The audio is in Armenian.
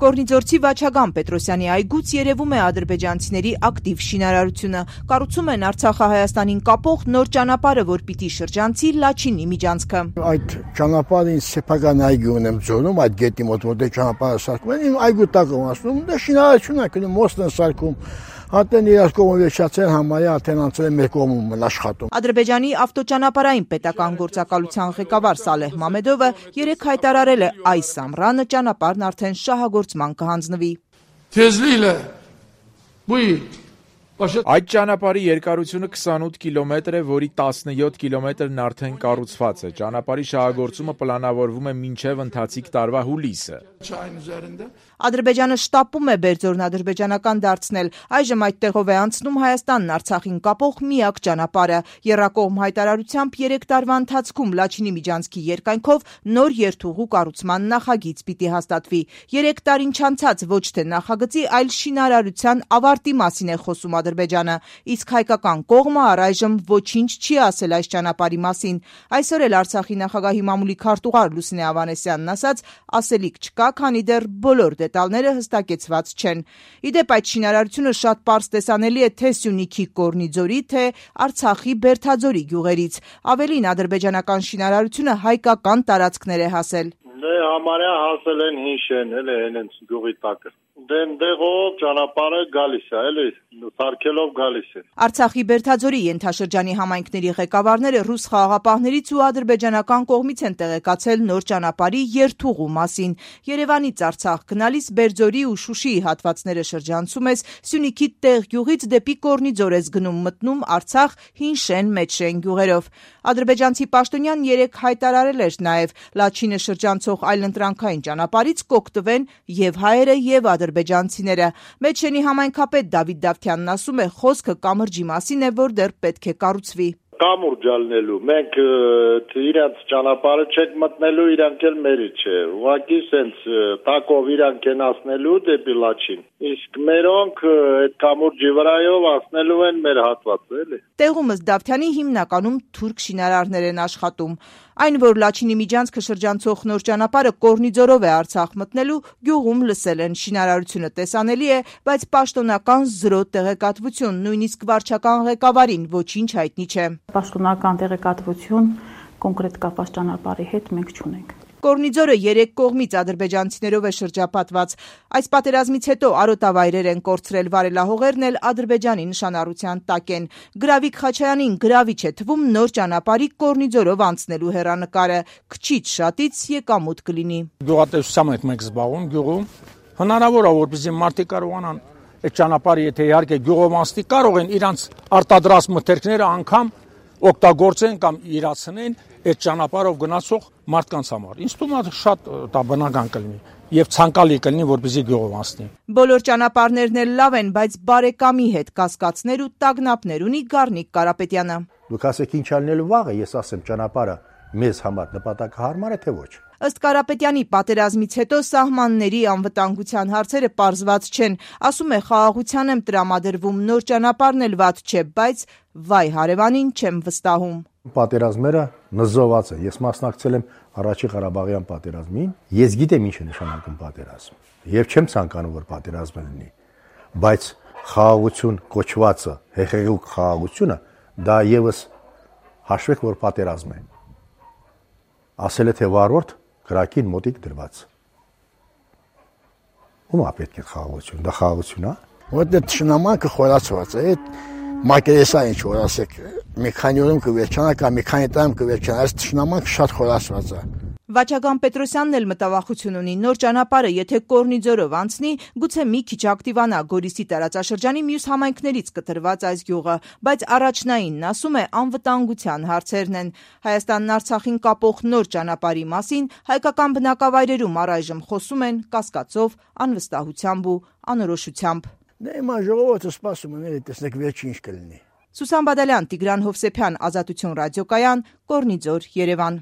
Կորնիձորցի Վաչագան Պետրոսյանի այգուց երևում է ադրբեջանցիների ակտիվ շինարարությունը։ Կառուցում են Արցախը-Հայաստանին կապող նոր ճանապարհը, որ պիտի շրջանցի Լաչինի միջանցքը։ Այդ ճանապարհին սեփական այգի ունեմ ձոնում, այդ գետի մոտ որտեղ ճանապարհը սարքում են, իմ այգու տակ եմ ասում, դա շինարարություն է, գնում մոստն են սարքում։ Հատեն իրար կողմը վերջացել համարյա արդեն անցել են մեր կողմում աշխատում։ Ադրբեջանի ավտոճանապարհային պետական գործակալության ղեկավար Սալեհ Մամեդովը երեկ հայտարարել է այս ամռանը ճանապարհն արդեն շահագործման կհանձնվի։ Այդ ճանապարհի երկարությունը 28 կիլոմետր է, որի 17 կիլոմետրն արդեն կառուցված է։ Ճանապարհի շահագործումը պլանավորվում է մինչև ընթացիկ տարվա հուլիսը։ Ադրբեջանը շտապում է Բերձորն ադրբեջանական դարձնել։ Այժմ այդտեղով է անցնում Հայաստանն Արցախին կապող միակ ճանապարհը։ Եռակողմ հայտարարությամբ 3 տարվա ընթացքում Լաչինի միջանցքի երկայնքով նոր երթուղու կառուցման նախագիծ պիտի հաստատվի։ 3 տարին չանցած ոչ թե նախագծի, այլ շինարարության ավարտի մասին է խոսում Ադրբեջանը, իսկ հայկական կողմը առայժմ ոչինչ չի ասել այս ճանապարհի մասին։ Այսօր էլ Արցախի նախագահի մամուլի քարտուղար Լուսինե Ավանեսյանն ասաց, ասելիք չկա, քանի դեռ բոլոր դետալները հստակեցված չեն։ Իդեպ այդ շինարարությունը շատ պարզ տեսանելի է թե Սյունիքի Կորնիձորի, թե Արցախի Բերթաձորի գյուղերից։ Ավելին, ադրբեջանական շինարարությունը հայկական տարածքներ է հասել։ Համարյա հասել են հինշեն, էլի հենց գյուղի տակը։ Դեղով ճանապարհը գալիս է, էլի սարքելով գալիս է։ Արցախի Բերթաձորի ենթաշրջանի համայնքների ղեկավարները ռուս խաղաղապահներից ու ադրբեջանական կողմից են տեղեկացել նոր ճանապարհի երթուղու մասին։ Երևանից Արցախ գնալիս Բերձորի ու Շուշիի հատվածները շրջանցում ես, Սյունիքի տեղ գյուղից դեպի Կորնիձոր ես գնում, մտնում Արցախ Հինշեն Մեջշեն գյուղերով։ Ադրբեջանցի պաշտոնյան երեկ հայտարարել էր նաև Լաչինը շրջանցող այլընտրանքային ճանապարհից կօգտվեն եւ հայերը եւ ադրբեջանցիները։ Մեջշենի համայնքապետ Դավիթ Դավթյանն ասում է, խոսքը կամրջի մասին է, որ դեռ պետք է կառուցվի։ Կամուրջ ալնելու, մենք իրանց ճանապարհը չենք մտնելու, իրանք էլ մերի չէ։ Ուղղակի սենց տակով իրանք են ասնելու դեպի Լաչին։ Իսկ մերոնք այդ կամուրջի վրայով ասնելու են մեր հատվածը, էլի։ Տեղումս Դավթյանի հիմնականում թուրք շինարարներ են աշխատում։ Այն, որ Լաչինի միջանցքը շրջանցող նոր ճանապարհը Կորնիձորով է Արցախ մտնելու, գյուղում լսել են, շինարարությունը տեսանելի է, բայց պաշտոնական զրո տեղեկատվություն, նույնիսկ վարչական ղեկավարին ոչինչ հայտնի չէ։ Պաշտոնական տեղեկատվություն կոնկրետ կապված ճանապարհի հետ մենք չունենք։ Կորնիձորը 3 կողմից ադրբեջանցիներով է շրջապատված։ Այս պատերազմից հետո արոտավայրեր են կորցրել, վարելահողերն էլ Ադրբեջանի նշանառության տակ են։ Գրավիկ Խաչայանին գրավիչ է թվում նոր ճանապարհի Կորնիձորով անցնելու հեռանկարը։ Քչից շատից եկամուտ կլինի։ Գյուղատնտեսությամբ ենք մենք զբաղվում գյուղում։ Հնարավոր է, որպեսզի մարդիկ կարողանան այդ ճանապարհը, եթե իհարկե գյուղոմանստի կարող են իրանց արտադրած մթերքները անգամ օգտագործեն կամ իրացնեն այդ ճանապարհով գնացող մարդկանց համար։ Ինձ թվում է շատ դա բնական կլինի եւ ցանկալի կլինի, որպեսզի գյուղով անցնի։ Բոլոր ճանապարհներն էլ լավ են, բայց բարեկամի հետ կասկածներ ու տագնապներ ունի Գառնիկ Կարապետյանը։ Դուք ասեք ինչ ալնելու վաղը, ես ասեմ ճանապարհը մեզ համար նպատակահարմար է թե ոչ։ Ըստ Կարապետյանի, պատերազմից հետո սահմանների անվտանգության հարցերը պարզված չեն։ Ասում է, խաղաղության եմ տրամադրվում, նոր ճանապարհն էլ վատ չէ, բայց վայ հարևանին չեմ վստահում։ Պատերազմները նզոված է։ Ես մասնակցել եմ առաջի Ղարաբաղյան պատերազմին։ Ես գիտեմ ինչ է նշանակում պատերազմ։ Եվ չեմ ցանկանում, որ պատերազմ լինի։ Բայց խաղաղություն կոչվածը, հեղեղուկ խաղաղությունը, դա եւս հաշվեք, որ պատերազմ է։ Ասել է թե վարորդ գրակին մոտիկ դրված։ Ո՞ւմ է պետք է խաղաղություն, դա խաղաղություն է։ Որտե տշնամանքը խորացված է, մակերեսա ինչ որ ասեք, մի քանի օրում կվերջանա կամ մի քանի տարում կվերջանա, այս տշնամանքը շատ խորացված է։ Վաչագան Պետրոսյանն էլ մտավախություն ունի, նոր ճանապարհը եթե Կորնիձորով անցնի, գուցե մի քիչ ակտիվանա Գորիսի տարածաշրջանի մյուս համայնքներից կտրված այս գյուղը, բայց առաջնայինն ասում է անվտանգության հարցերն են։ Հայաստանն Արցախին կապող նոր ճանապարհի մասին հայկական բնակավայրերում առայժմ խոսում են կասկածով, անվստահությամբ ու անորոշությամբ։ Դե հիմա ժողովուրդը սպասում է, տեսնեք վերջին ինչ կլինի։ Սուսան Բադալյան, Տիգրան Հովսեփյան, Ազատություն ռադիոկայան, Կորնիձոր, Երևան։